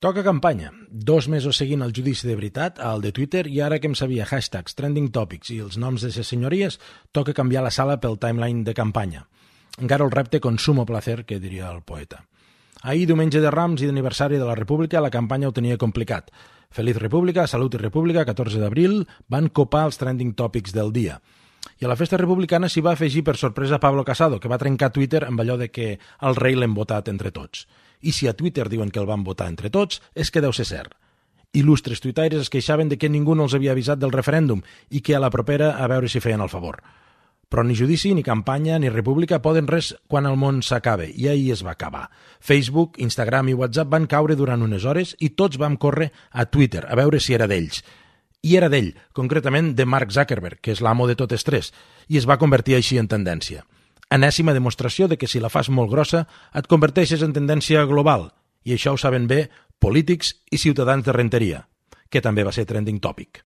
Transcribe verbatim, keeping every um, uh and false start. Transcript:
Toca campanya. Dos mesos seguint el judici de veritat, al de Twitter, i ara que em sabia hashtags, trending topics i els noms de ses senyories, toca canviar la sala pel timeline de campanya. Encara el repte consumo placer, que diria el poeta. Ahir, diumenge de Rams i d'aniversari de la República, la campanya ho tenia complicat. Feliz República, Salut i República, catorze d'abril, van copar els trending topics del dia. I a la festa republicana s'hi va afegir per sorpresa Pablo Casado, que va trencar Twitter amb allò de que el rei l'hem votat entre tots. I si a Twitter diuen que el van votar entre tots, és que deu ser cert. Il·lustres tuitaires es queixaven de que ningú no els havia avisat del referèndum i que a la propera a veure si feien el favor. Però ni judici, ni campanya, ni república poden res quan el món s'acabe, i ahir es va acabar. Facebook, Instagram i WhatsApp van caure durant unes hores i tots vam córrer a Twitter a veure si era d'ells. I era d'ell, concretament de Mark Zuckerberg, que és l'amo de totes tres, i es va convertir així en tendència. Enèsima demostració de que si la fas molt grossa et converteixes en tendència global, i això ho saben bé polítics i ciutadans de Renteria, que també va ser trending topic.